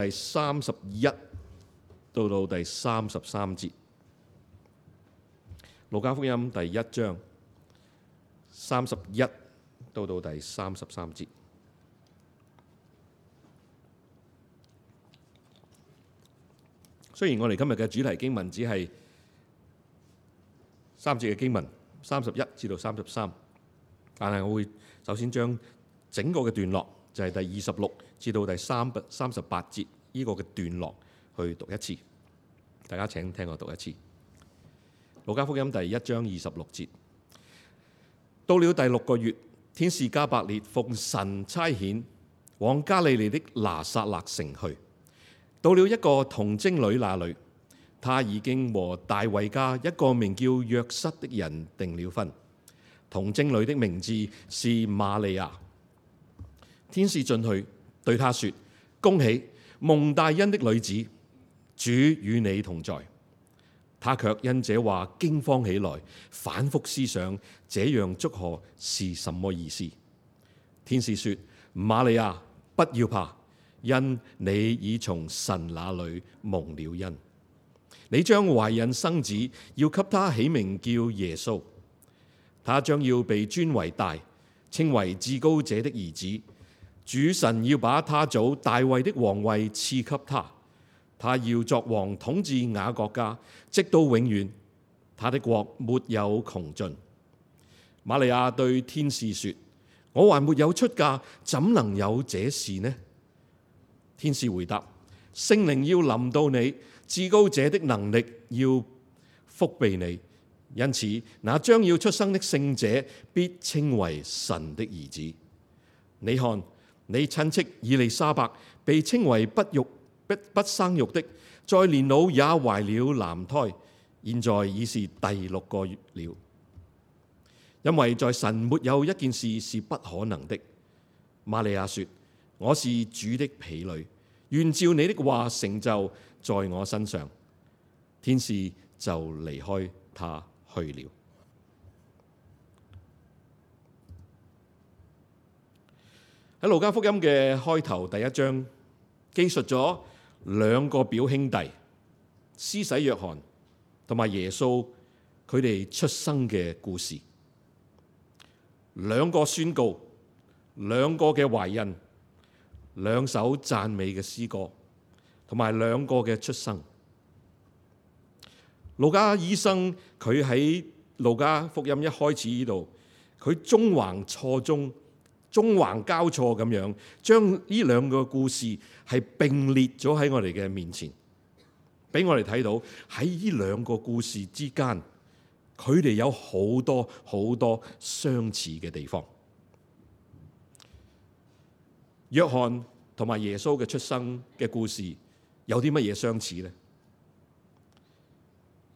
第31到第33節，路加福音第1章31到第33節。雖然我哋今日嘅主題經文只係3節嘅經文，31至到33，但係我會首先將整個嘅段落，就係第26至到第38節呢個嘅段落去讀一次。大家請聽我讀一次。路加福音第1章26節，到了第6個月，天使加百列奉神差遣，往加利利的拿撒勒城去。到了一個童貞女那裏，她已經和大衛家一個名叫約瑟的人訂了婚。童貞女的名字是瑪利亞。天使進去對她說：恭喜，蒙大恩的女子，主與你同在。她卻因這話驚慌起來，反覆思想這樣祝賀是什麼意思。天使說：瑪利亞，不要怕，因你已從神那裏蒙了恩。你將懷孕生子，要給他起名叫耶穌。他將要被尊為大，稱為至高者的兒子。主神要把他祖大衛的王位賜給他，他要作王統治雅各家，直到永遠。他的國沒有窮盡。瑪利亞對天使說：我還沒有出嫁，怎能有這事呢？天使回答：聖靈要臨到你，至高者的能力要覆庇你，因此那將要出生的聖者必稱為神的兒子。你看，你親戚以利沙伯被稱為不生育的，在年老也懷了男胎，現在已是第6個月了。因為在神沒有一件事是不可能的。瑪利亞說：我是主的婢女，願照你的話成就在我身上。天使就離開他去了。喺路加福音嘅開頭第1章，記述咗2個表兄弟施洗約翰同埋耶穌佢哋出生嘅故事，2個宣告，2個嘅懷孕，2首讚美嘅詩歌，同埋2個嘅出生。路加醫生佢喺路加福音一開始呢度，佢縱橫錯綜、縱橫交錯咁樣，將呢2個故事係並列咗喺我哋嘅面前，俾我哋睇到喺呢2個故事之間，佢哋有好多好多相似嘅地方。約翰同埋耶穌嘅出生嘅故事有啲乜嘢相似呢？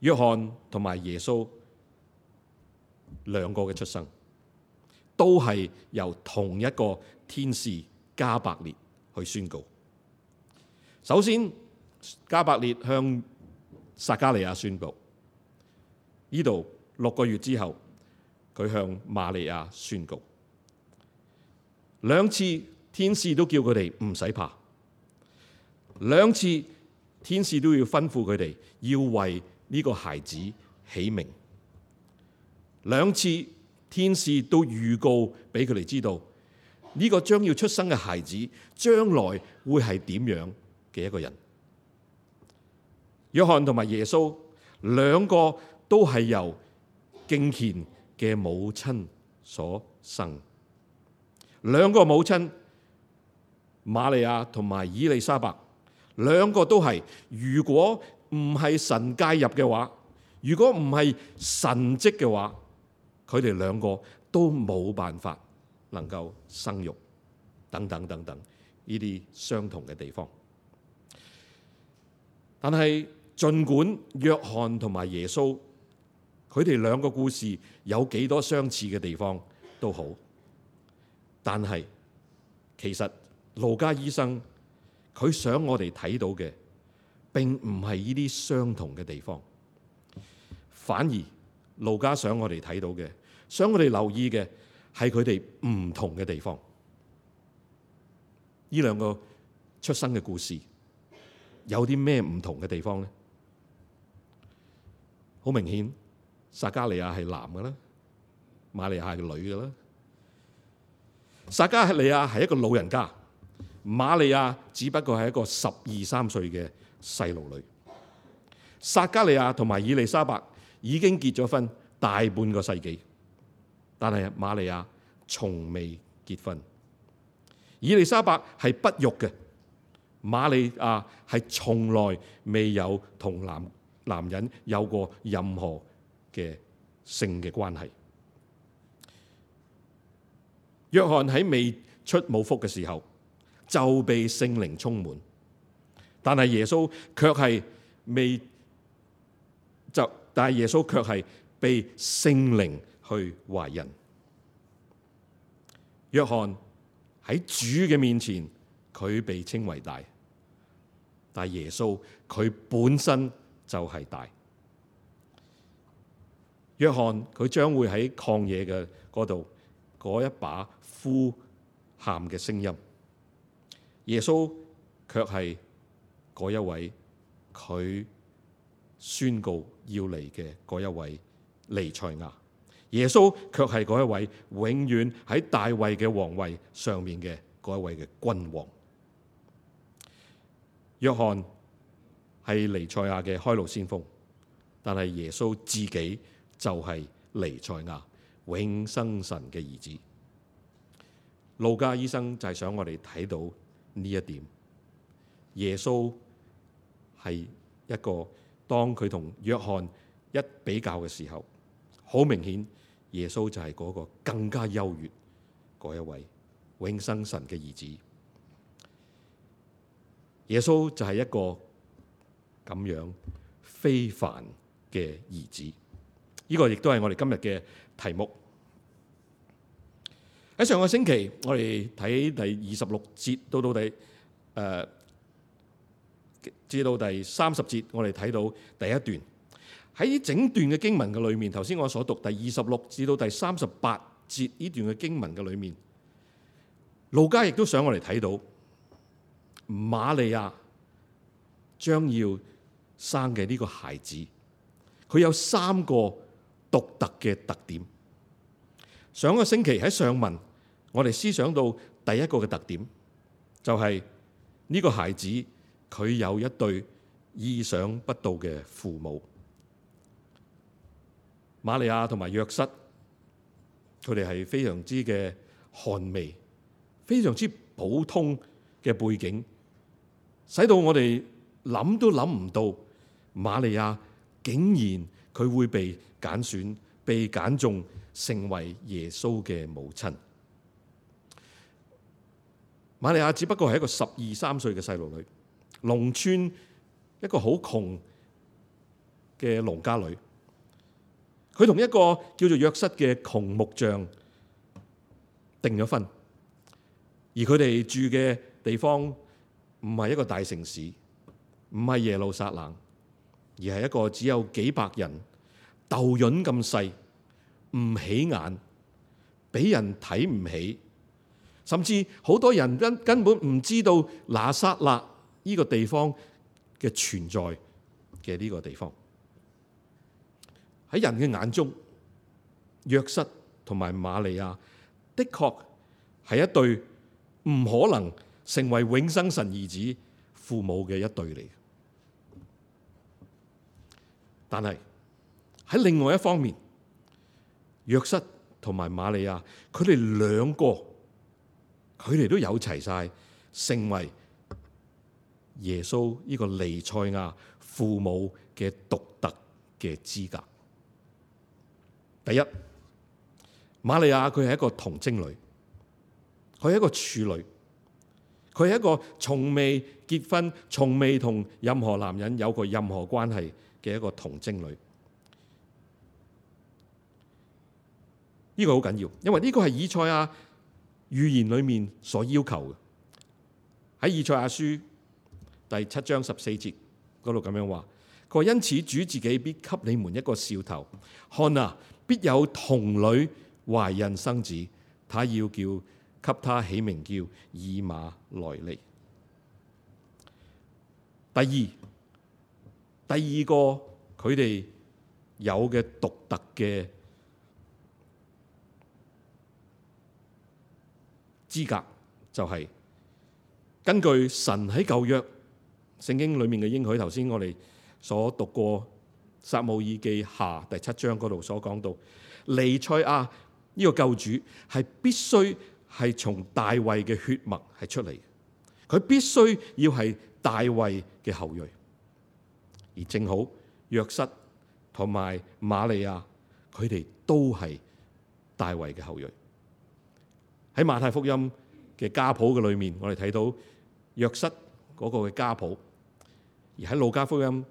約翰同埋耶穌2個嘅出生，都係由同一個天使加百列去宣告。首先，加百列向撒加利亞宣布，呢度6個月之後，佢向瑪利亞宣告。2次天使都叫佢哋唔使怕，2次天使都要吩咐佢哋要為呢個孩子起名。2次天使都預告俾佢哋知道，呢個將要出生嘅孩子將來會係點樣嘅一個人。約翰同埋耶穌2個都係由敬虔嘅母親所生。2個母親瑪利亞同埋以利沙伯，2個都係，如果唔係神介入嘅話，如果唔係神蹟嘅話，佢哋2個都冇辦法能夠生育，等等等等，呢啲相同嘅地方。但係儘管約翰同埋耶穌佢哋2個故事有幾多相似嘅地方都好，但係其實路加醫生佢想我哋睇到嘅並唔係呢啲相同嘅地方，反而路加想我哋睇到嘅，想我哋留意嘅係佢哋唔同嘅地方。呢2個出生嘅故事有啲咩唔同嘅地方呢？好明顯，撒迦利亞係男嘅啦，瑪利亞係女嘅啦。撒迦利亞係一個老人家，瑪利亞只不過係一個12、13歲嘅細路女。撒迦利亞同埋以利沙伯已經結咗婚大半個世紀，但係瑪利亞從未結婚。以利沙伯係不育嘅，瑪利亞係從來未有同男人有過任何嘅性嘅關係。約翰喺未出母腹嘅時候就被聖靈充滿，但係耶穌卻係被聖靈去懷孕。約翰喺主嘅面前，佢被稱為大，但係耶穌佢本身就係大。約翰佢將會喺曠野嘅嗰度嗰一把呼喊嘅聲音，耶穌卻係嗰一位佢宣告要嚟嘅嗰一位彌賽亞。耶穌卻係嗰一位永遠喺大衛嘅皇位上面嘅嗰一位嘅君王。約翰係彌賽亞嘅開路先鋒，但係耶穌自己就係彌賽亞，永生神嘅兒子。路加醫生就係想我哋睇到呢一點。耶穌係一個，當佢同約翰一比較嘅時候，好明顯耶穌就係嗰個更加優越嗰一位永生神嘅兒子。耶穌就係一個咁樣非凡嘅兒子。呢個亦都係我哋今日嘅題目。喺上個星期，我哋睇第26節至到第30節，我哋睇到第一段。喺整段嘅經文嘅裏面，頭先我所讀第26至到第38節呢段嘅經文嘅裏面，路加亦都想我哋睇到瑪利亞將要生嘅呢個孩子，佢有3個獨特嘅特點。上個星期喺上文，我哋思想到第一個嘅特點，就係呢個孩子佢有一對意想不到嘅父母。瑪利亞同埋約瑟，佢哋係非常之嘅寒微，非常之普通嘅背景，使到我哋諗都諗唔到瑪利亞竟然佢會被揀選、被揀中成為耶穌嘅母親。瑪利亞只不過係一個12、13歲嘅細路女，農村一個好窮嘅農家女。佢同一個叫做約瑟嘅窮木匠訂咗婚，而佢哋住嘅地方唔係一個大城市，唔係耶路撒冷，而係一個只有幾百人、豆潤咁細，唔起眼，俾人睇唔起，甚至好多人根本唔知道拿撒勒呢個地方嘅存在嘅呢個地方。喺人嘅眼中，約瑟同埋瑪利亞的確係一對唔可能成為永生神兒子父母嘅一對嚟。但係喺另外一方面，約瑟同埋瑪利亞，佢哋兩個，佢哋都有齊晒成為耶穌呢個彌賽亞父母嘅獨特嘅資格。第一，瑪利亞佢係一個童貞女，佢係一個處女，佢係一個從未結婚、從未同任何男人有過任何關係嘅一個童貞女。呢個好緊要，因為呢個係以賽亞預言裏面所要求嘅。喺以賽亞書第7章14節嗰度咁樣話，佢話因此主自己必給你們一個兆頭，看啊，必有童女懷孕生子，他要給他起名叫以馬內利。第二個佢哋有嘅獨特嘅資格，就係根據神喺舊約聖經裏面嘅應許。頭先我哋所讀過撒母耳記下第7章嗰度所講到，彌賽亞呢個救主係必須係從大衛嘅血脈係出嚟，佢必須要係大衛嘅後裔。而正好約瑟同埋瑪利亞，佢哋都係大衛嘅後裔。喺馬太福音嘅家譜嘅裏面，我哋睇到約瑟嗰個嘅家譜；而喺路加福音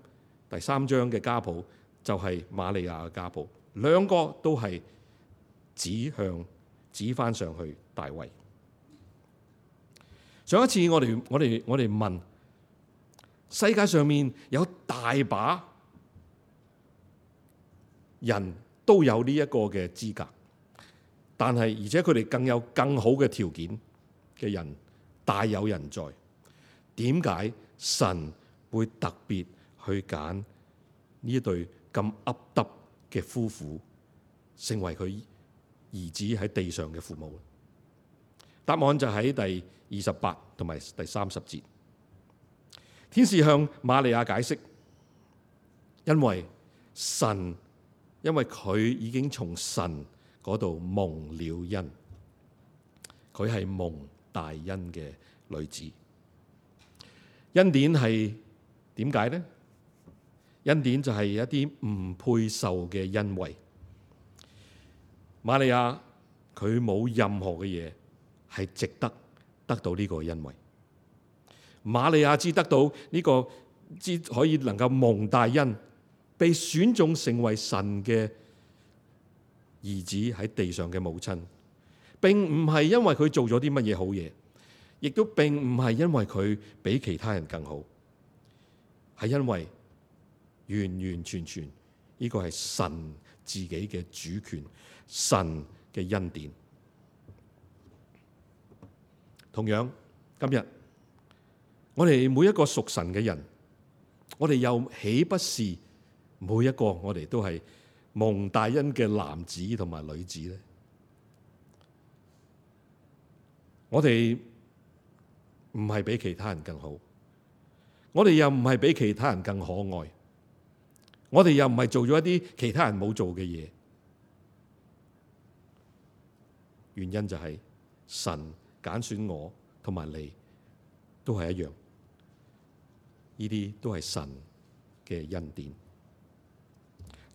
第3章嘅家譜就係瑪利亞嘅家譜，兩個都係指翻上去大衛。上一次我哋問，世界上面有大把人都有呢一個嘅資格，但係而且佢哋更有更好嘅條件嘅人大有人在。點解神會特別去揀呢一對咁噏得嘅夫婦成為佢兒子喺地上嘅父母？答案就喺第28同埋第30節。天使向瑪利亞解釋，因為佢已經從神嗰度蒙了恩，佢係蒙大恩嘅女子。恩典係點解呢？恩典就係一啲唔配受嘅恩惠。瑪利亞佢冇任何嘅嘢係值得得到呢個恩惠。瑪利亞只得到呢個，只可以能夠蒙大恩，被選中成為神嘅兒子喺地上嘅母親，並唔係因為佢做咗啲乜嘢好嘢，亦都並唔係因為佢比其他人更好，係因為完完全全呢個係神自己嘅主權，神嘅恩典。同樣今日我哋每一個屬神嘅人，我哋又豈不是每一個我哋都係蒙大恩嘅男子同埋女子呢？我哋唔係比其他人更好，我哋又唔係比其他人更可愛，我哋又唔係做咗一啲其他人冇做嘅嘢。原因就係神揀選我同埋你都係一樣，呢啲都係神嘅恩典。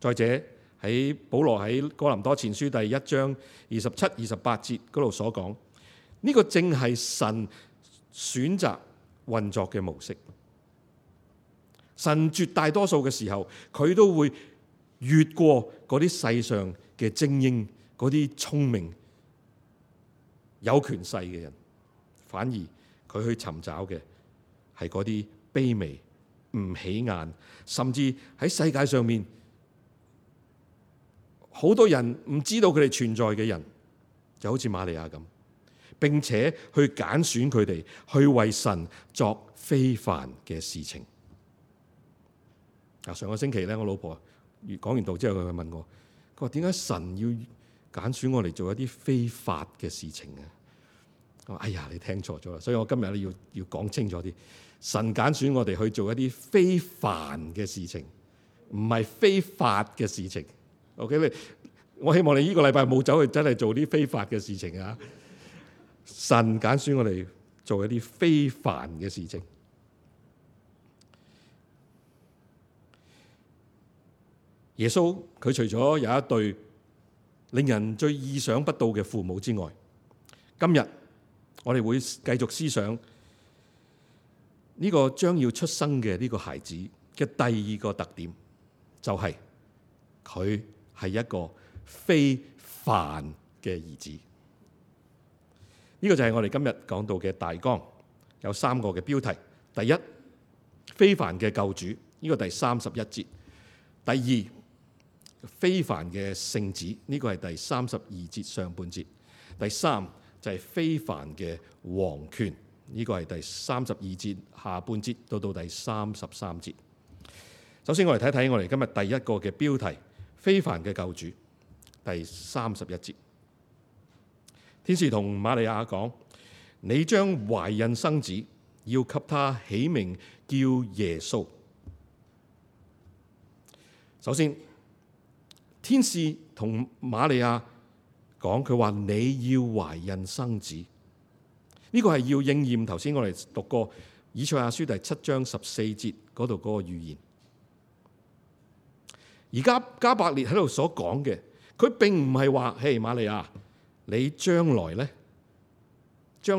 再者，喺保羅喺哥林多前書第1章27、28節嗰度所講，呢個正係神選擇運作嘅模式。神絕大多數嘅時候，佢都會越過嗰啲世上嘅精英，嗰啲聰明有權勢嘅人，反而佢去尋找嘅係嗰啲卑微、唔起眼，甚至喺世界上面好多人唔知道佢哋存在嘅人，就好似瑪利亞咁，並且去揀選佢哋去為神作非凡嘅事情。上個星期咧，我老婆講完道之後，佢問我，佢話點解神要揀選我嚟做一啲非法嘅事情啊？我話哎呀，你聽錯咗啦！所以我今日咧要講清楚啲，神揀選我哋去做一啲非凡嘅事情，唔係非法嘅事情。OK， 我希望你呢個禮拜冇走去真係做啲非法嘅事情啊！神揀選我哋做一啲非凡嘅事情。耶穌佢除咗有一對令人最意想不到嘅父母之外，今日我哋會繼續思想呢個將要出生嘅呢個孩子嘅第二個特點，就係佢係一個非凡嘅兒子。呢個就係我哋今日講到嘅大綱，有3個嘅標題。第一，非凡嘅救主，呢個第31節。第二，非凡嘅聖子，呢個係第32節上半節。第三就係非凡嘅王權，呢個係第32節下半節到第33節。首先我哋睇睇我哋今日第一個嘅標題：非凡嘅救主。第31節，天使同瑪利亞講：你將懷孕生子，要給他起名叫耶穌。首先，天使同瑪利亞講，佢話你要懷孕生子，呢個係要應驗頭先我哋讀過以賽亞書第7章14節嗰度嗰個預言。而家加百列喺度所講嘅，佢並唔係話，嘿，瑪利亞，你將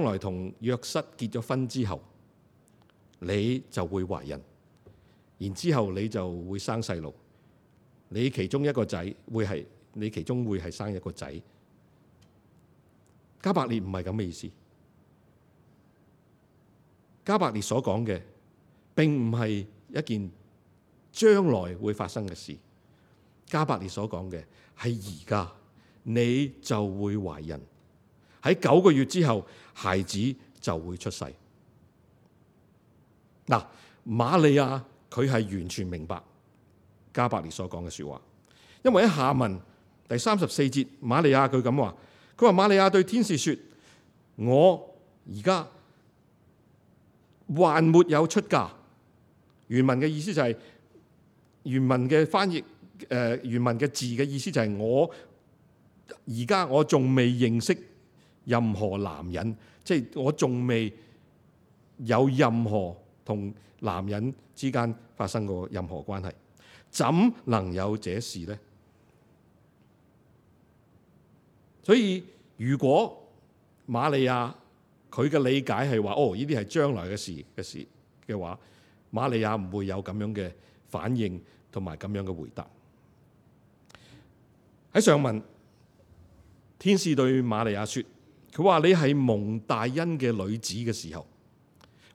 來同約瑟結咗婚之後，你就會懷孕，然之後你就會生細路，你其中一個仔你其中會係生一個仔。加百列唔係咁嘅意思。加百列所講嘅並唔係一件將來會發生嘅事。加百列所講嘅係而家，你就會懷孕，喺9個月之後，孩子就會出世。嗱，瑪利亞佢係完全明白加百列所講嘅說話，因為喺下文第34節，瑪利亞佢咁話，佢話瑪利亞對天使說：我而家還沒有出嫁。原文嘅意思就係、原文嘅翻譯。原文嘅字嘅意思就係我仲未認識任何男人，即係我仲未有任何同男人之間發生過任何關係，怎能有這事呢？所以如果瑪利亞佢嘅理解係話，呢啲係將來嘅事嘅話，瑪利亞唔會有咁樣嘅反應同埋咁樣嘅回答。喺上文，天使對瑪利亞說，佢話你係蒙大恩嘅女子嘅時候，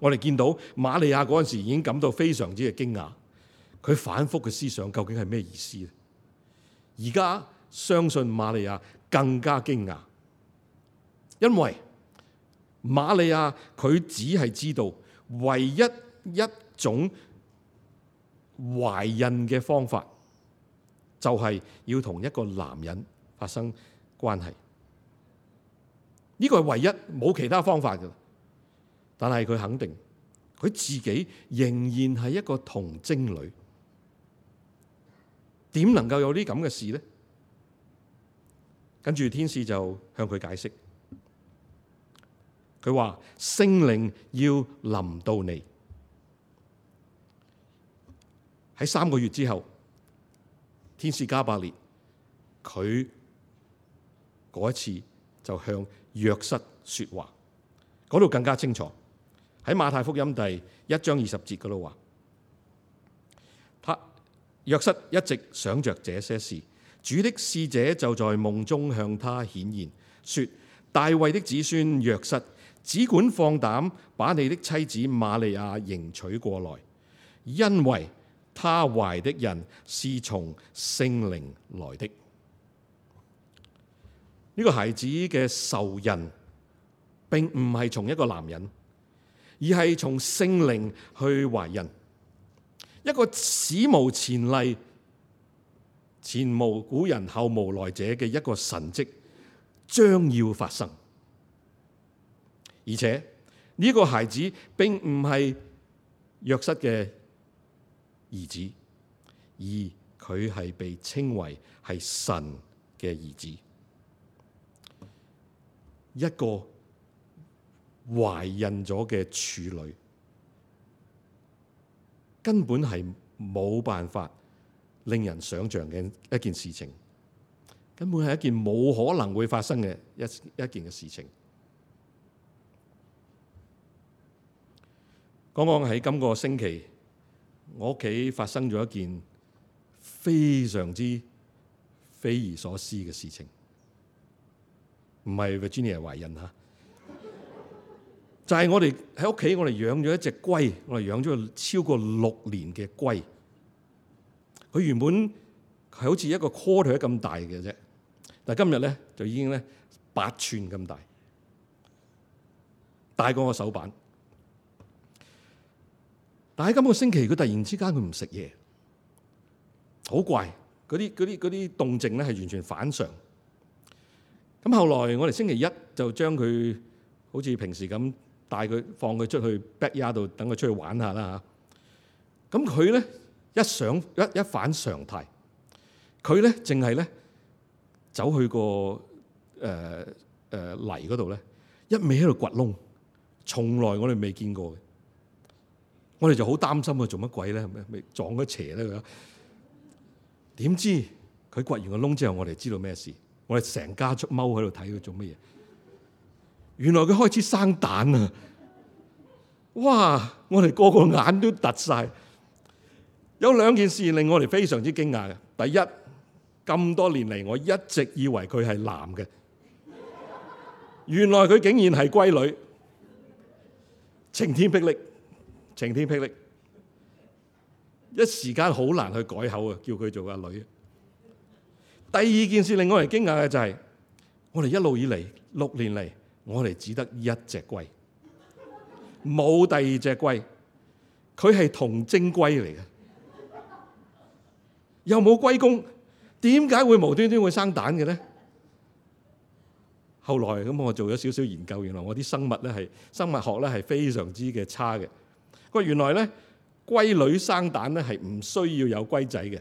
我哋見到瑪利亞嗰陣時已經感到非常之嘅驚訝，佢反覆嘅思想究竟係咩意思咧？而家相信瑪利亞更加驚訝，因為瑪利亞佢只係知道唯一一種懷孕嘅方法，就係要同一個男人發生關係，呢個係唯一，冇其他方法嘅。但係佢肯定，佢自己仍然係一個童貞女，點能夠有啲咁嘅事呢？跟住天使就向佢解釋，佢話聖靈要臨到你，喺3個月之後。天使加百列佢嗰一次就向約瑟說話，嗰度更加清楚。喺馬太福音第1章20節嗰度話，約瑟一直想着這些事，主的使者就在夢中向他顯現，說：大衛的子孫約瑟，只管放膽把你的妻子瑪利亞迎娶過來，因為他懷的人是從聖靈來的。呢個孩子嘅受孕並唔係從一個男人，而係從聖靈去懷孕，一個史無前例、前無古人後無來者嘅一個神蹟將要發生。而且呢個孩子並唔係約瑟嘅兒子，而佢係被稱為係神嘅兒子。一個懷孕咗嘅處女，根本係冇辦法令人想象嘅一件事情，根本係一件冇可能會發生嘅一件嘅事情。剛剛喺今個星期，我屋企發生咗一件非常之匪夷所思嘅事情。唔係 Virginia 懷孕嚇，就係我哋喺屋企，我哋養咗一隻龜，我哋養咗個超過6年嘅龜。佢原本係好似一個 quarter 咁大嘅啫，但係今日咧就已經咧8寸咁大，大過我手板，但喺今個星期佢突然之間佢唔食嘢，好怪，嗰啲動靜咧係完全反常。咁後來我哋星期一就將佢好似平時咁帶佢放佢出去 backyard 度等佢出去玩下啦嚇。咁佢咧一反常態，佢咧淨係咧走去個泥嗰度咧，一味喺度掘窿，從來我哋未見過嘅。我哋就好擔心佢做乜鬼咧？咪撞咗邪咧佢？點知佢掘完個窿之後，我哋知道咩事？我哋成家出踎喺度睇佢做乜嘢？原來佢開始生蛋啊！哇！我哋個個眼都突晒。有兩件事令我哋非常之驚訝嘅。第一，咁多年嚟我一直以為佢係男嘅，原來佢竟然係龜女，晴天霹靂，晴天霹靂，一時間好難去改口啊！叫佢做阿女。第二件事令我哋驚訝嘅就係，我哋一路以嚟6年嚟，我哋只得一隻龜，冇第二隻龜，佢係童貞龜嚟嘅，又冇龜公，點解會無端端會生蛋嘅咧？後來咁我做咗少少研究，原來我啲生物學咧係非常之嘅差嘅。佢話原來咧龜女生蛋咧係唔需要有龜仔嘅，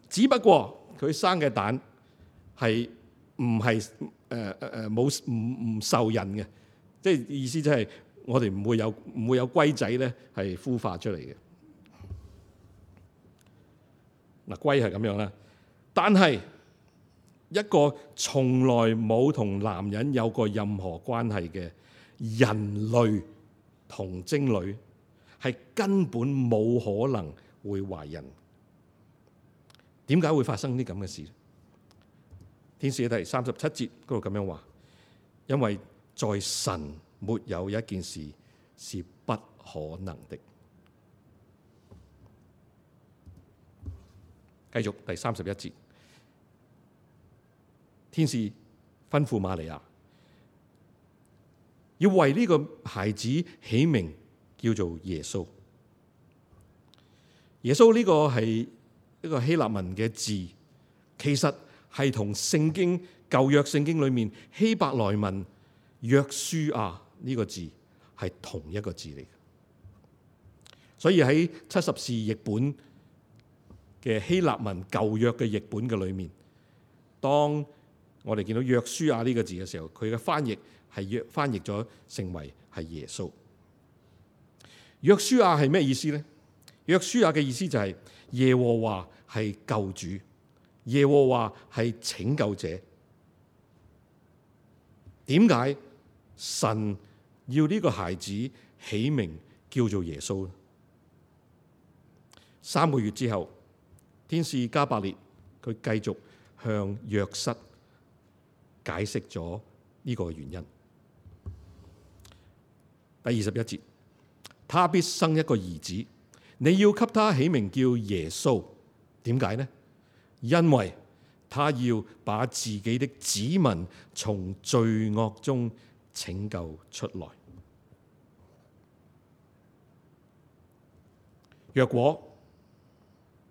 只不過佢生嘅蛋係唔受孕嘅，即係意思即係我哋唔會有龜仔咧係孵化出嚟嘅。嗱，龜係咁樣啦，但係一個從來冇同男人有過任何關係嘅人類童貞女，係根本冇可能會懷孕。點解會發生啲咁嘅事？天使喺第37節嗰度咁樣話，因為在神沒有一件事是不可能的。繼續第31節，天使吩咐瑪利亞要為呢個孩子起名叫做耶穌。耶穌呢個係一個希臘文嘅字，其實係同聖經舊約聖經裏面希伯來文約書亞呢個字係同一個字嚟嘅。所以喺70士譯本嘅希臘文舊約嘅譯本嘅裏面，當我哋見到約書亞呢個字嘅時候，佢嘅翻譯係翻譯咗成為係耶穌。約書亞係咩意思呢？約書亞嘅意思就係耶和華係救主，耶和華係拯救者。點解神要呢個孩子起名叫做耶穌呢？3個月之後，天使加百列佢繼續向約瑟解釋咗呢個原因。第21節，他必生一個兒子，你要給他起名叫耶穌。點解呢？因為他要把自己的子民從罪惡中拯救出來。若果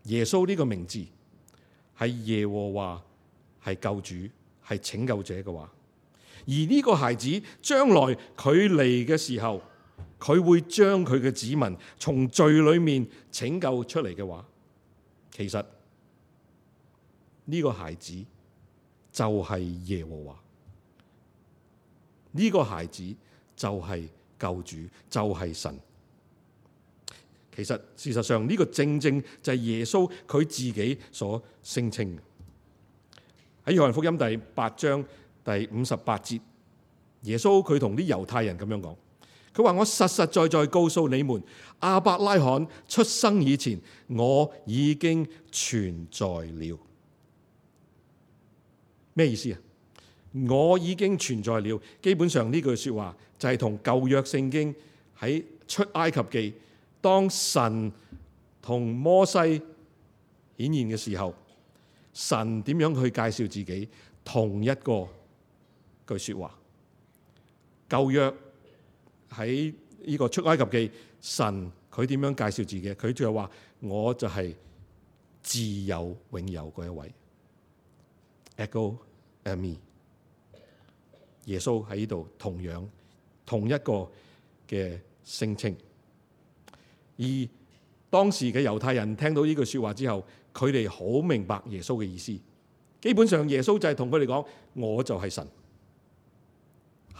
耶穌呢個名字係耶和華係救主係拯救者嘅話，而呢個孩子將來佢嚟嘅時候，佢會將佢嘅子民從罪裏面拯救出嚟嘅話，其實呢個孩子就係耶和華，呢個孩子就係救主，就係神。其實事實上呢個正正就係耶穌佢自己所聲稱嘅。喺約翰福音第8章第58節，耶穌佢同啲猶太人咁樣講，佢話：我實實在在告訴你們，亞伯拉罕出生以前，我已經存在了。咩意思啊？我已經存在了。基本上呢句說話就係同舊約聖經喺出埃及記，當神同摩西顯現嘅時候，神點樣去介紹自己，同一個句說話。舊約喺呢個出埃及記，神佢點樣介紹自己？佢就話我就係自有永有嗰一位。Ego eimi。耶穌喺呢度同一個嘅聲稱。而當時嘅猶太人聽到呢句說話之後，佢哋好明白耶穌嘅意思。基本上耶穌就係同佢哋講，我就係神。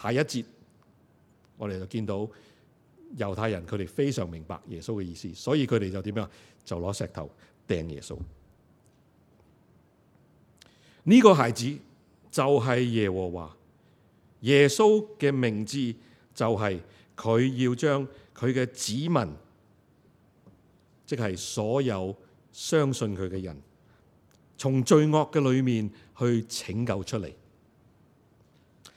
下一節我哋就見到猶太人佢哋非常明白耶穌嘅意思，所以佢哋就點樣？就攞石頭掟耶穌。呢個孩子就係耶和華。耶穌嘅名字就係佢要將佢嘅子民，即係所有相信佢嘅人，從罪惡嘅裏面去拯救出嚟。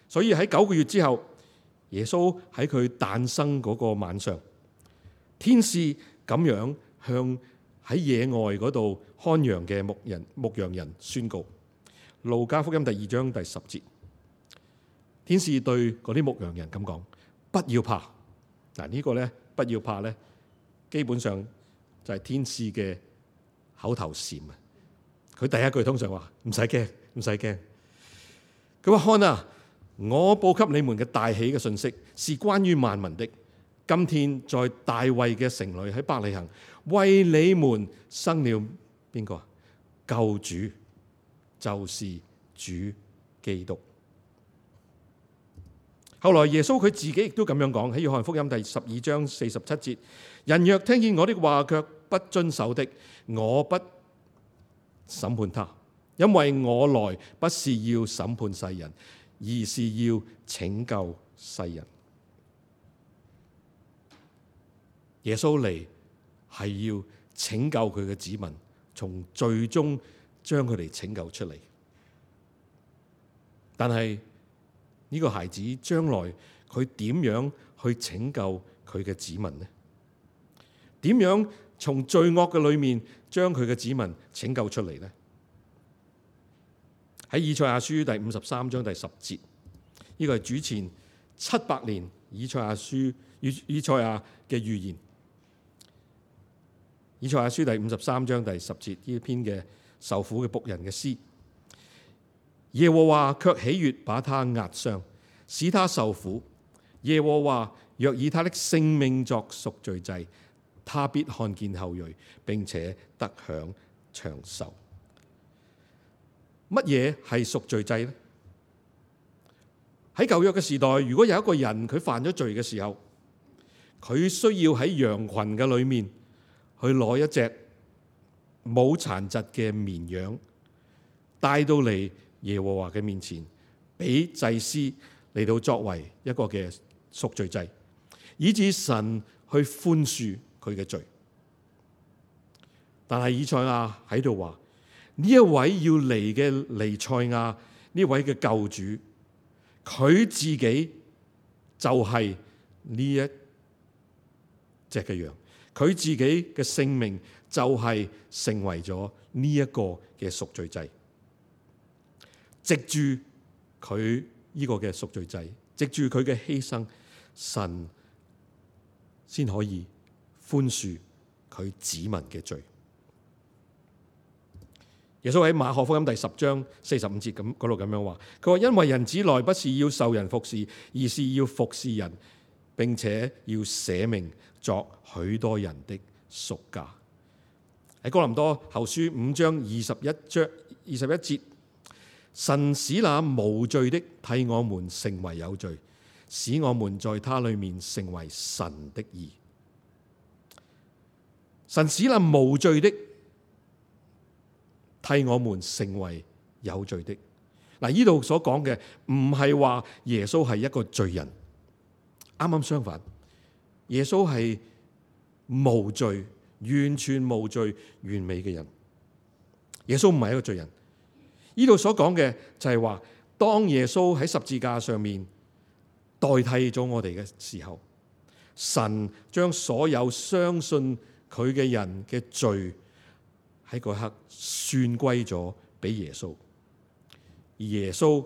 所以喺9個月之後，耶穌喺佢誕生嗰個晚上，天使咁樣向喺野外嗰度看羊嘅牧羊人宣告。路加福音第2章第10節，天使對嗰啲牧羊人咁講：不要怕。嗱，呢個咧，不要怕咧，基本上就係天使嘅口頭禪啊。佢第一句通常話：唔使驚，唔使驚。佢話：看啊，我報給你們嘅大喜嘅信息是關於萬民的。今天在大衛嘅城裏，喺伯利恆，為你們生了邊個？救主，就是主基督。後來耶穌佢自己亦都咁樣講，喺約翰福音第12章47節：人若聽見我的話卻不遵守的，我不審判他，因為我來不是要審判世人，而是要拯救世人。耶穌嚟係要拯救佢嘅子民，從罪中將佢哋拯救出嚟。但係呢個孩子將來佢點樣去拯救佢嘅子民呢？點樣從罪惡嘅裏面將佢嘅子民拯救出嚟呢？喺以賽亞書第53章第10節，呢個係主前700年以賽亞嘅預言。以賽亞書第53章第10節，呢篇嘅受苦嘅僕人嘅詩。耶和華卻喜悅把他壓傷，使他受苦。耶和華若以他的性命作贖罪祭，他必看見後裔，並且得享長壽。乜嘢係贖罪祭呢？喺舊約嘅時代，如果有一個人佢犯咗罪嘅時候，佢需要喺羊群嘅裏面去攞一隻冇殘疾嘅綿羊，帶到嚟耶和華嘅面前，俾祭司嚟到作為一個嘅贖罪祭，以致神去寬恕佢嘅罪。但係以賽亞喺度話，呢一位要嚟嘅彌賽亞，呢位嘅救主，佢自己就係呢一隻嘅羊，佢自己嘅性命就係成為咗呢一個嘅贖罪祭。藉住佢呢個嘅贖罪祭，藉住佢嘅犧牲，神先可以寬恕佢子民嘅罪。耶穌喺馬可福音第10章45節嗰度咁樣話，佢話：因為人子來不是要受人服侍，而是要服侍人，並且要捨命作許多人的贖價。喺哥林多後書5章21節，神使那無罪的替我們成為有罪，使我們在他裏面成為神的義。神使那無罪的替我們成為有罪的。嗱，呢度所講嘅唔係話耶穌係一個罪人，啱啱相反，耶穌係無罪、完全無罪、完美嘅人。耶穌唔係一個罪人。呢度所講嘅就係話，當耶穌喺十字架上面代替咗我哋嘅時候，神將所有相信佢嘅人嘅罪喺嗰刻算歸咗俾耶穌，而耶穌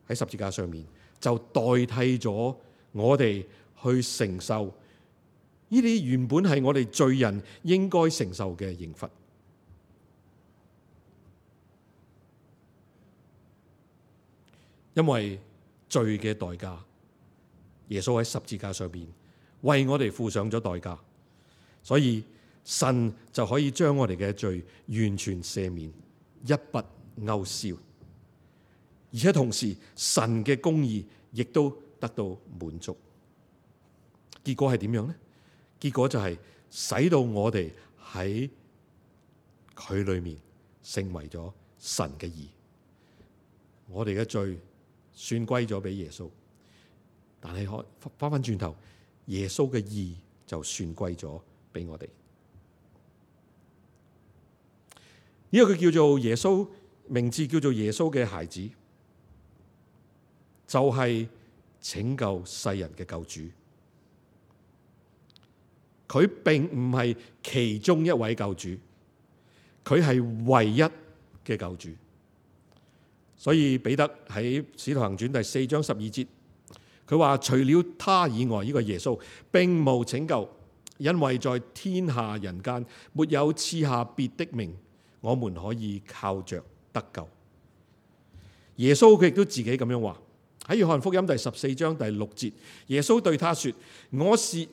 喺十字架上面就代替咗我哋去承受呢啲原本係我哋罪人應該承受嘅刑罰。因為罪嘅代價，耶穌喺十字架上邊為我哋付上咗代價，所以神就可以將我哋嘅罪完全赦免，一筆勾銷。而且同時，神嘅公義亦都得到滿足。結果係點樣呢？結果就係使到我哋喺佢裏面成為咗神嘅義。我哋嘅罪算歸咗俾耶穌，但係翻翻轉頭，耶穌嘅義就算歸咗俾我哋。呢個佢叫做耶穌，名字叫做耶穌嘅孩子，就係拯救世人嘅救主。佢並唔係其中一位救主，佢係唯一嘅救主。所以彼得喺使徒行傳第4章12節，佢話除了他以外，呢個耶穌並無拯救，因為在天下人間沒有賜下別的名，我們可以靠着得救。耶穌佢亦都自己咁樣話，喺約翰福音第14章第6節，耶穌對他說：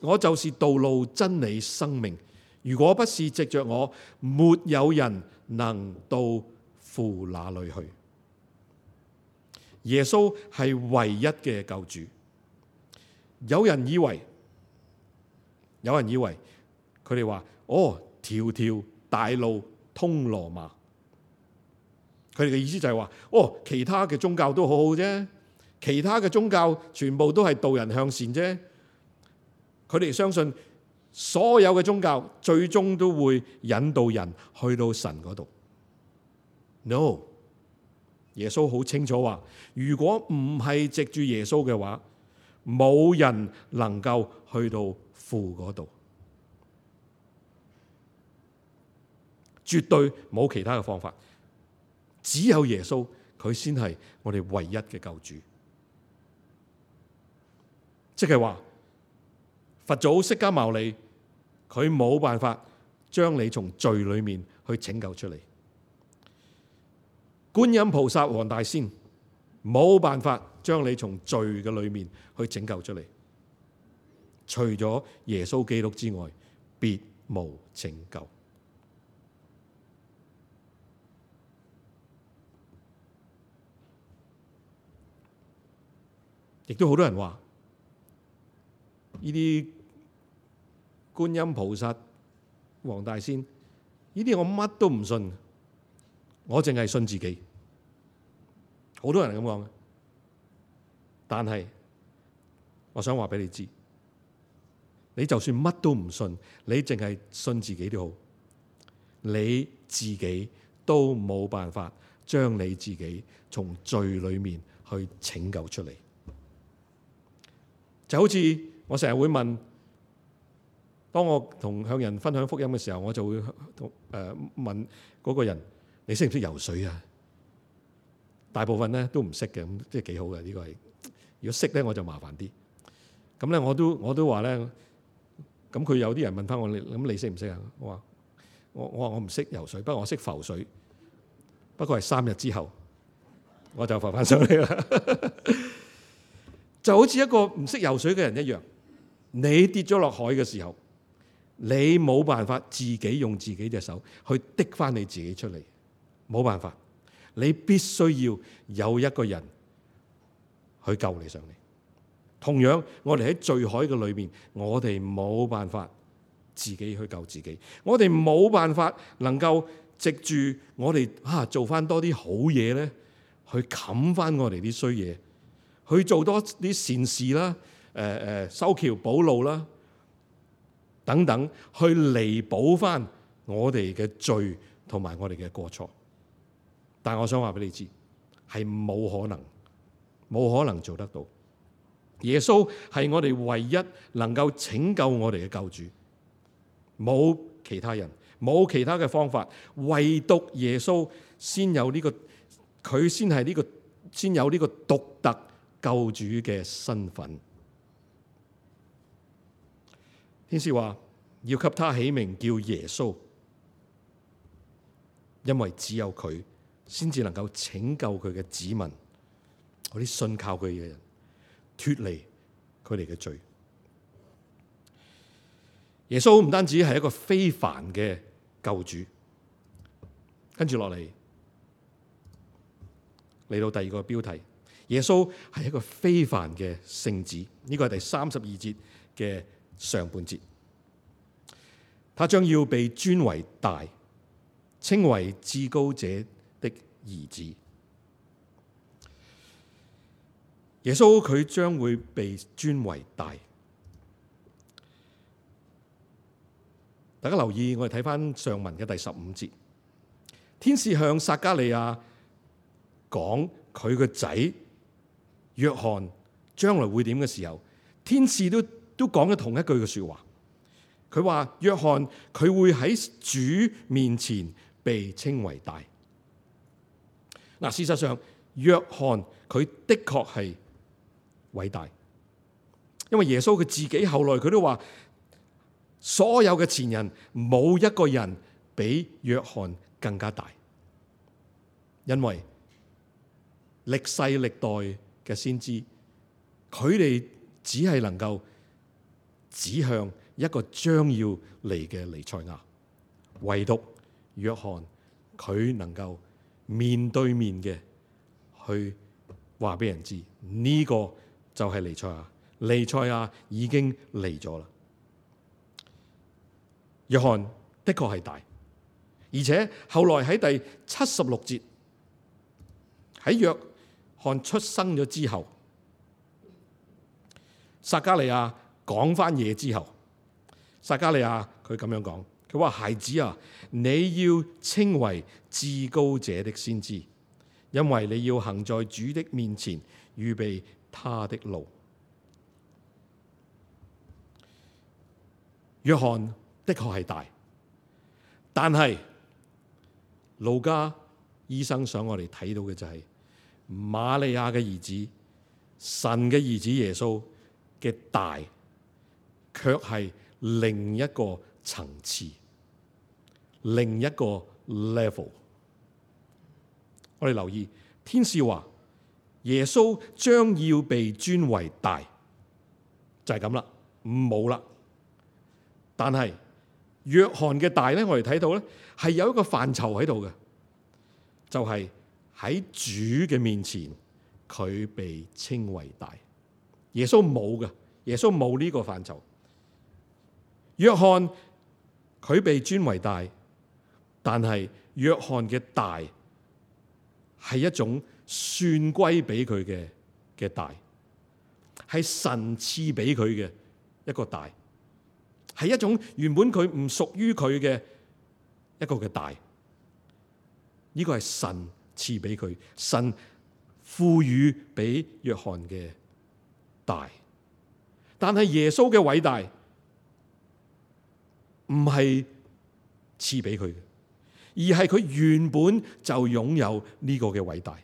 我就是道路、真理、生命，如果不是藉着我，沒有人能到父那裏去。耶穌係唯一嘅救主。有人以為佢哋話：條條大路通羅馬。佢哋嘅意思就係話：其他嘅宗教都好好啫，其他嘅宗教全部都係導人向善啫。佢哋相信所有嘅宗教最終都會引導人去到神嗰度。No。耶穌好清楚話，如果唔係藉住耶穌嘅話，冇人能夠去到父嗰度，絕對冇其他嘅方法，只有耶穌，佢先係我哋唯一嘅救主。即係話，佛祖釋迦牟尼，佢冇辦法將你從罪裏面去拯救出嚟。觀音菩薩、黃大仙冇辦法將你從罪嘅裏面去拯救出嚟，除咗耶穌基督之外，別無拯救。亦都好多人話，呢啲觀音菩薩、黃大仙，呢啲我乜都唔信，我淨係信自己。好多人係咁講嘅，但係我想話俾你知，你就算乜都唔信，你淨係信自己都好，你自己都冇辦法將你自己從罪裏面去拯救出嚟。就好似我成日會問，當我向人分享福音嘅時候，我就會問嗰個人：你識唔識游水啊？大部分咧都唔識嘅，咁即係幾好嘅。呢個係如果識咧，我就麻煩啲。咁咧我都話咧，咁佢有啲人問翻我：咁你識唔識啊？我話我唔識游水，不過我識浮水。不過係3日之後，我就浮翻上嚟啦。就好似一個唔識游水嘅人一樣，你跌咗落海嘅時候，你冇辦法自己用自己隻手去滴翻你自己出嚟，冇辦法。你必須要有一個人去救你上嚟。同樣，我哋喺罪海嘅裏面，我哋冇辦法自己去救自己，我哋冇辦法能夠藉住我哋做翻多啲好嘢咧，去冚翻我哋啲衰嘢，去做多啲善事啦，修橋補路啦，等等，去彌補翻我哋嘅罪同埋我哋嘅過錯。但係我想話俾你知，係冇可能做得到。耶穌係我哋唯一能夠拯救我哋嘅救主，冇其他人，冇其他嘅方法，唯獨耶穌先有呢個，佢先係呢個，先有呢個獨特救主嘅身份。天使話要給他起名叫耶穌，因為只有佢先至能夠拯救佢嘅子民，嗰啲信靠佢嘅人脫離佢哋嘅罪。耶穌唔單止係一個非凡嘅救主，跟住落嚟到第二個標題，耶穌係一個非凡嘅聖子。呢個係第32節嘅上半節。他將要被尊為大，稱為至高者的兒子。耶穌佢將會被尊為大。大家留意，我哋睇翻上文嘅第15節，天使向撒迦利亞講佢個仔約翰將來會點嘅時候，天使都講咗同一句嘅說話。佢話約翰佢會喺主面前被稱為大。嗱，事實上約翰佢的確係偉大，因為耶穌佢自己後來佢都話，所有嘅前人冇一個人比約翰更加大，因為歷世歷代嘅先知，佢哋只係能夠指向一個將要嚟嘅彌賽亞，唯獨約翰佢能夠面對面嘅去話俾人知，呢個就係彌賽亞，彌賽亞已經嚟咗啦。約翰的確係大，而且後來喺第76節，喺約翰出生咗之後，撒迦利亞講翻嘢之後，撒迦利亞佢咁樣講，佢話：孩子啊，你要稱為至高者的先知，因為你要行在主的面前，預備他的路。約翰的確係大，但係路加醫生想我哋睇到嘅就係瑪利亞嘅兒子，神嘅兒子耶穌嘅大，卻係另一個層次，另一個 level。我哋留意，天使話耶穌將要被尊為大，就係咁啦，冇啦。但係約翰嘅大咧，我哋睇到咧係有一個範疇喺度嘅，就係喺主嘅面前，佢被稱為大。耶穌冇嘅，耶穌冇呢個範疇。約翰佢被尊為大，但係約翰嘅大係一種算歸俾佢嘅大，係神賜俾佢嘅一個大。係一種原本佢唔屬於佢嘅一個嘅大，呢個係神賜俾佢，神賦予俾約翰嘅大。但係耶穌嘅偉大唔係賜俾佢嘅，而係佢原本就擁有呢個嘅偉大。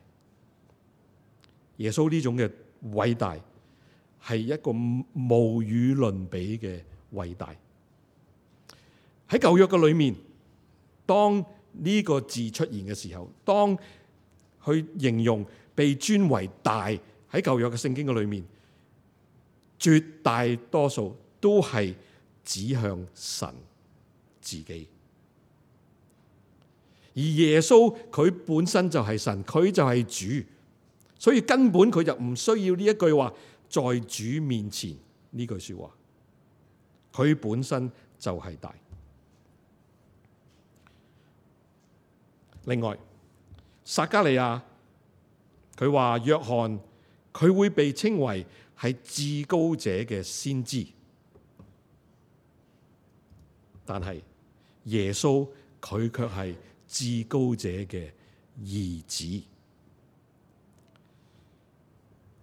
耶穌呢種嘅偉大係一個無與倫比嘅偉大。喺舊約嘅裏面，當呢個字出現嘅時候，當去形容被尊為大，喺舊約嘅聖經嘅裏面，絕大多數都係指向神自己。而耶穌佢本身就係神，佢就係主，所以根本佢就唔需要呢一句話，在主面前呢句說話，佢本身就係大。另外，撒迦利亞佢話約翰佢會被稱為係至高者嘅先知，但係耶穌佢卻係至高者嘅兒子。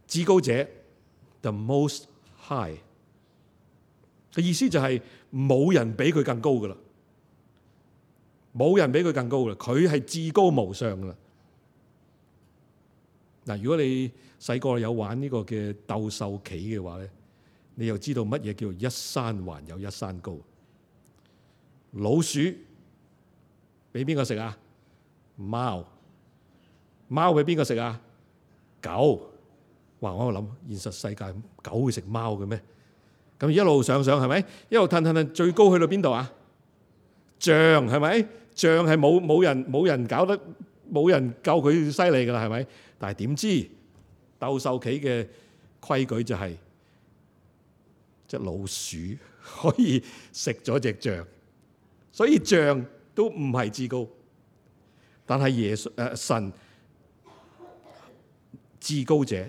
至高者 the most high 嘅意思就係冇人比佢更高噶啦。冇人比佢更高啦，佢係至高無上噶啦。嗱，如果你細個有玩呢個嘅鬥獸棋嘅話咧，你又知道乜嘢叫一山還有一山高？老鼠俾邊個食啊？貓。貓俾邊個食啊？狗。哇！我喺度諗，現實世界狗會食貓嘅咩？咁一路上係咪？一路褪，最高去到邊度啊？象係咪？象係冇人搞得，冇人夠佢犀利噶啦，係咪？但係點知鬥獸棋嘅規矩就係隻老鼠可以食咗隻象，所以象都唔係至高，但係神至高者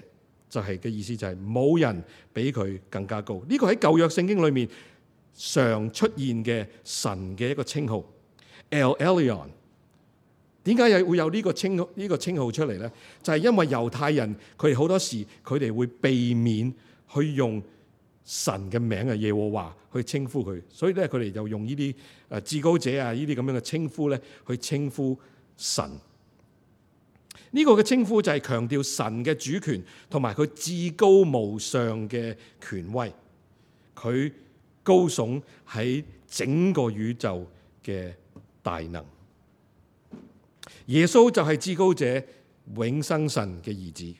就係嘅意思就係冇人比佢更加高。呢個喺舊約聖經裏面常出現嘅神嘅一個稱號 El Elyon。點解會有呢個稱號出嚟呢？就係因為猶太人佢哋好多時佢哋會避免去用神嘅名嘅耶和華去稱呼佢，所以咧佢哋就用呢啲至高者啊呢啲咁樣嘅稱呼咧去稱呼神。呢個嘅稱呼就係強調神嘅主權同埋佢至高無上嘅權威，佢高聳喺整個宇宙嘅大能。耶穌就係至高者永生神嘅兒子。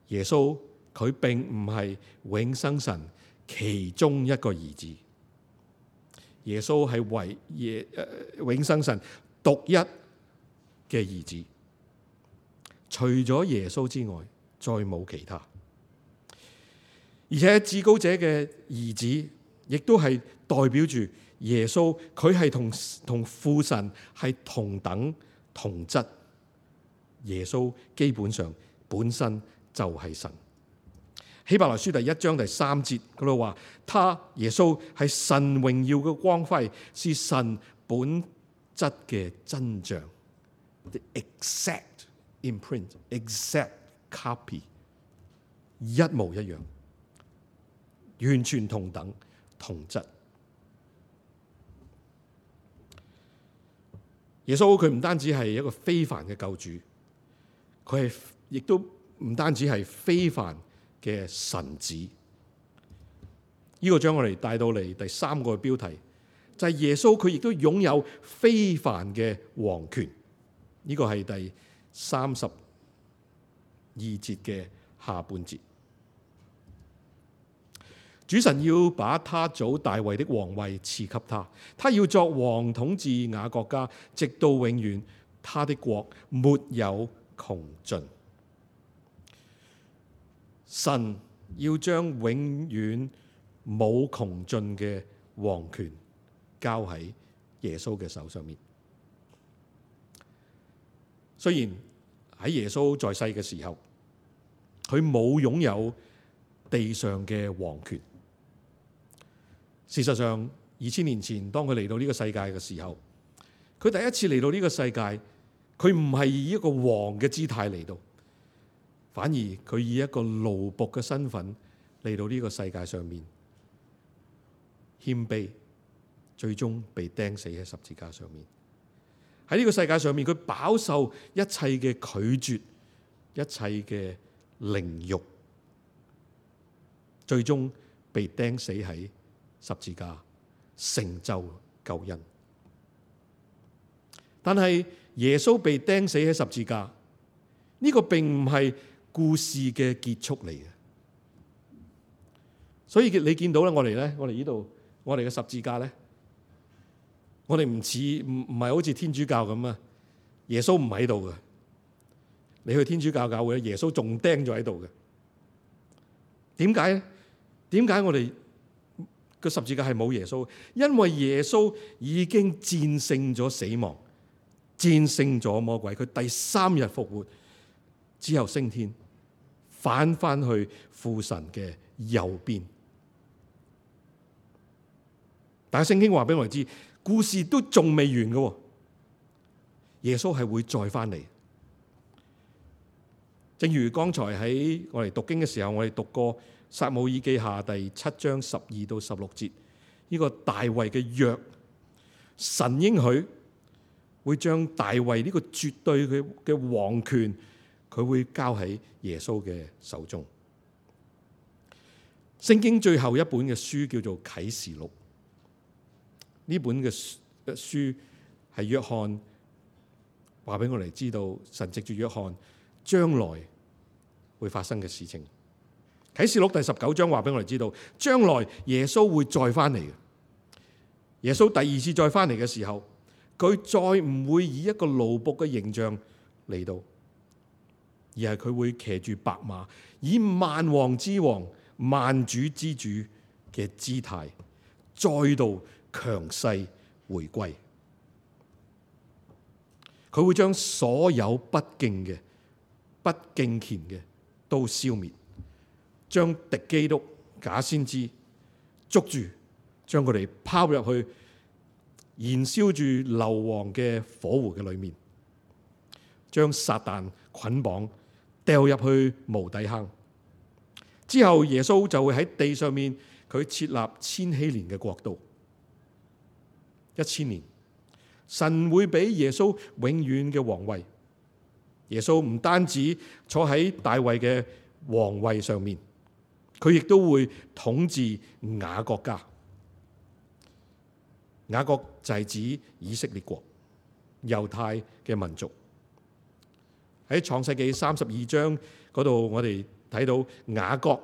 耶穌佢並唔係永生神其中一個兒子，耶穌係永生神獨一嘅兒子，除咗耶穌之外，再冇其他。而且至高者嘅兒子，亦都係代表住耶穌，佢係同父神係同等同質。耶穌基本上本身就係神。希伯來書第1章第3節嗰度話，他耶穌係神榮耀嘅光輝，是神本質嘅真像。The exact imprint, exact copy， 一模一樣，完全同等同質。耶穌佢唔單止係一個非凡嘅救主，佢係亦都唔單止係非凡嘅神子。呢個將我哋帶到嚟第3個標題，就係耶穌佢亦都擁有非凡嘅王權。呢個係第32節嘅下半節。主神要把他祖大衛的王位賜給他，他要作王統治雅各家，直到永遠。他的國沒有窮盡。神要將永遠冇窮盡嘅王權交喺耶穌嘅手上面。雖然喺耶穌在世嘅時候，佢冇擁有地上嘅王權。事實上，2000年前當佢嚟到呢個世界嘅時候，佢第一次嚟到呢個世界，佢唔係以一個王嘅姿態嚟到，反而佢以一個奴僕嘅身份嚟到呢個世界上面，謙卑，最終被釘死喺十字架上面。喺呢個世界上面，佢飽受一切嘅拒絕，一切嘅凌辱，最終被釘死喺十字架，成就救恩。但係耶穌被釘死喺十字架，呢個並唔係故事嘅結束嚟嘅。所以你見到咧，我哋呢度，我哋嘅十字架咧，我哋唔係好似天主教咁啊！耶穌唔喺度嘅，你去天主教教會，耶穌仲釘咗喺度嘅。點解咧？點解我哋個十字架係冇耶穌？因為耶穌已經戰勝咗死亡，戰勝咗魔鬼。佢第3日復活之後升天，返翻去父神嘅右邊。但係聖經話俾我哋知，故事都仲未完嘅。耶穌係會再翻嚟。正如剛才喺我哋讀經嘅時候，我哋讀過撒母耳記下第7章12到16節，呢個大衛嘅約，神應許會將大衛呢個絕對嘅王權，佢會交喺耶穌嘅手中。聖經最後一本嘅書叫做啟示錄，呢本嘅書係約翰話俾我哋知道，神藉住約翰將來會發生嘅事情。啟示錄第19章話俾我哋知道，將來耶穌會再翻嚟嘅。耶穌第二次再翻嚟嘅時候，佢再唔會以一個奴僕嘅形象嚟到，而係佢會騎住白馬，以萬王之王、萬主之主嘅姿態，再度強勢回歸。佢會將所有不敬嘅、不敬虔嘅都消滅，將敵基督、假先知捉住，將佢哋拋入去燃燒住硫磺嘅火湖嘅裏面，將撒旦捆綁掉入去無底坑。之後耶穌就會喺地上面，佢設立千禧年嘅國度，1000年。神會俾耶穌永遠嘅皇位。耶穌唔單止坐喺大衛嘅皇位上面，佢亦都會統治雅各家。雅各就係指以色列國、猶太嘅民族。喺創世記32章嗰度，我哋睇到雅各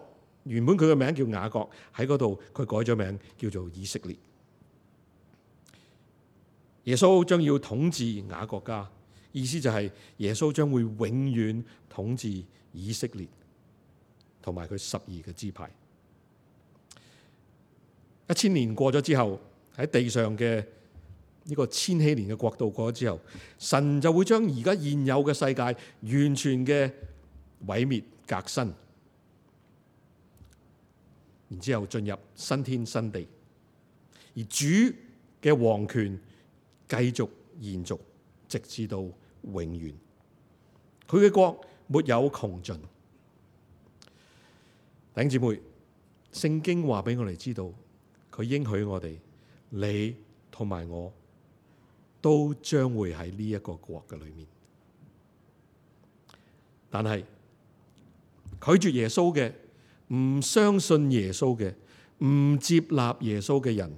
原本佢嘅名叫雅各，喺嗰度佢改咗名叫做以色列。耶穌將要統治雅各家，意思就係耶穌將會永遠統治以色列同埋佢12個支派。1000年過咗之後，喺地上嘅呢個千禧年嘅國度過咗之後，神就會將而家現有嘅世界完全嘅毀滅革新，然之後進入新天新地，而主嘅王權繼續延續，直至到永遠。佢嘅國沒有窮盡。弟兄姊妹，聖經話俾我哋知道，佢應許我哋，你同埋我都將會喺呢一個國嘅裏面。但係拒絕耶穌嘅、唔相信耶穌嘅、唔接納耶穌嘅人，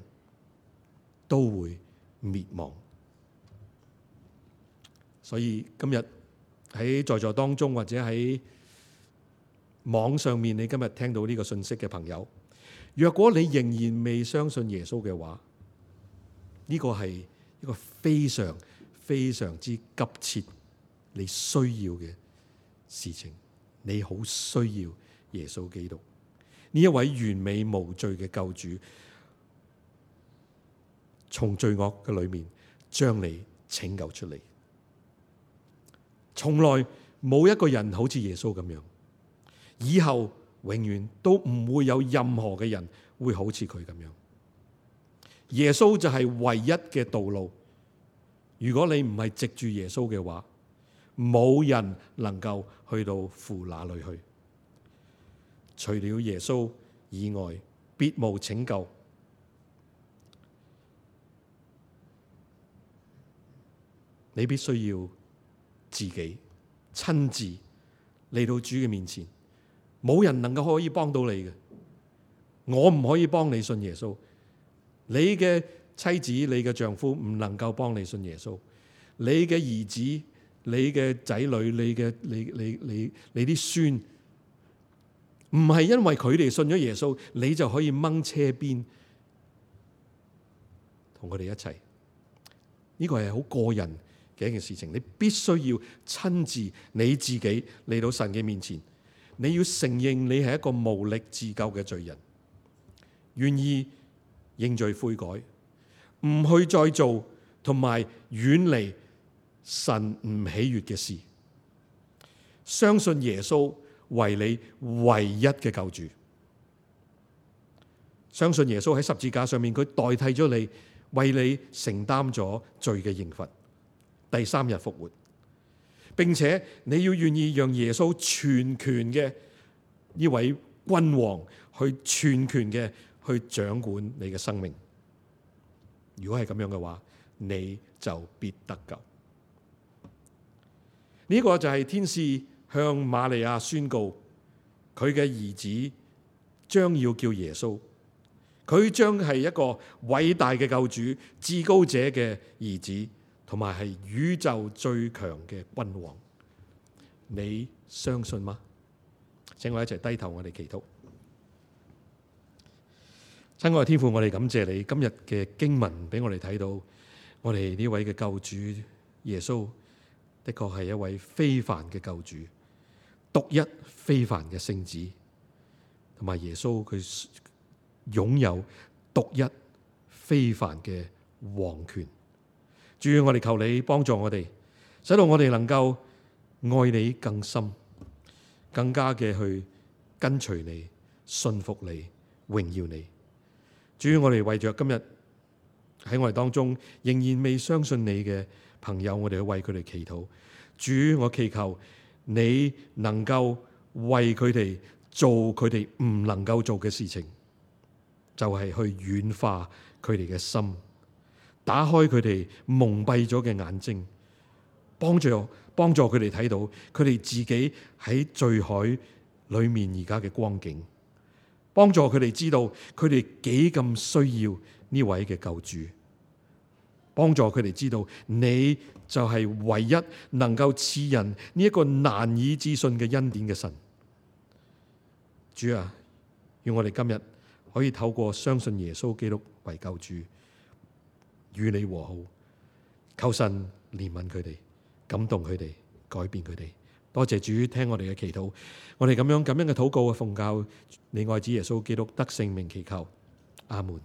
都會滅亡。所以今日喺在座當中，或者喺網上面，你今日聽到呢個信息嘅朋友，若果你仍然未相信耶穌嘅話，呢個係一個非常非常之急切你需要嘅事情。你好需要耶穌基督，呢一位完美無罪嘅救主，從罪惡嘅裏面將你拯救出嚟。從來冇一個人好似耶穌咁樣，以後永遠都唔會有任何嘅人會好似佢咁樣。耶穌就係唯一嘅道路。如果你唔係藉住耶穌嘅話，冇人能夠去到父那裏去。除了耶穌以外，別無拯救。你必須要自己親自嚟到主嘅面前，冇人能夠可以幫到你嘅。我唔可以幫你信耶穌，你嘅妻子、你嘅丈夫唔能夠幫你信耶穌，你嘅兒子、你嘅仔女、你啲孫，唔係因為佢哋信咗耶穌，你就可以掹車邊同佢哋一齊。呢個係好個人嘅一件事情，你必須要親自你自己嚟到神嘅面前，你要承認你係一個無力自救嘅罪人，願意認罪悔改，唔去再做，同埋遠離神唔喜悅嘅事，相信耶穌為你唯一嘅救主，相信耶穌喺十字架上面佢代替咗你，為你承擔咗罪嘅刑罰，第3日復活，並且你要願意讓耶穌全權嘅呢位君王去全權嘅去掌管你嘅生命。如果係咁樣嘅話，你就必得救。呢個就係天使向瑪利亞宣告佢嘅兒子將要叫耶穌，佢將係一個偉大嘅救主、至高者嘅兒子，同埋係宇宙最強嘅君王。你相信嗎？請我一齊低頭，我哋祈禱。親愛嘅天父，我哋感謝你今日嘅經文俾我哋睇到，我哋呢位嘅救主耶穌的確係一位非凡嘅救主，獨一非凡嘅聖子，同埋耶穌佢擁有獨一非凡嘅王權。主，我哋求你幫助我哋，使到我哋能夠愛你更深，更加嘅去跟隨你、信服你、榮耀你。主，我哋為着今日喺我哋當中仍然未相信你嘅朋友，我哋去為佢哋祈禱。主，我祈求你能夠為佢哋做佢哋唔能夠做嘅事情，就係去軟化佢哋嘅心，打開佢哋蒙蔽咗嘅眼睛，幫助佢哋睇到佢哋自己喺罪海裏面而家嘅光景，幫助佢哋知道佢哋幾咁需要呢位嘅救主，幫助佢哋知道你就係唯一能夠賜人呢一個難以置信嘅恩典嘅神。主啊，願我哋今日可以透過相信耶穌基督為救主，與你和好。求神憐憫佢哋，感動佢哋，改變佢哋。多謝主聽我哋嘅祈禱，我哋咁樣嘅禱告，奉教你愛子耶穌基督得聖名祈求，阿門。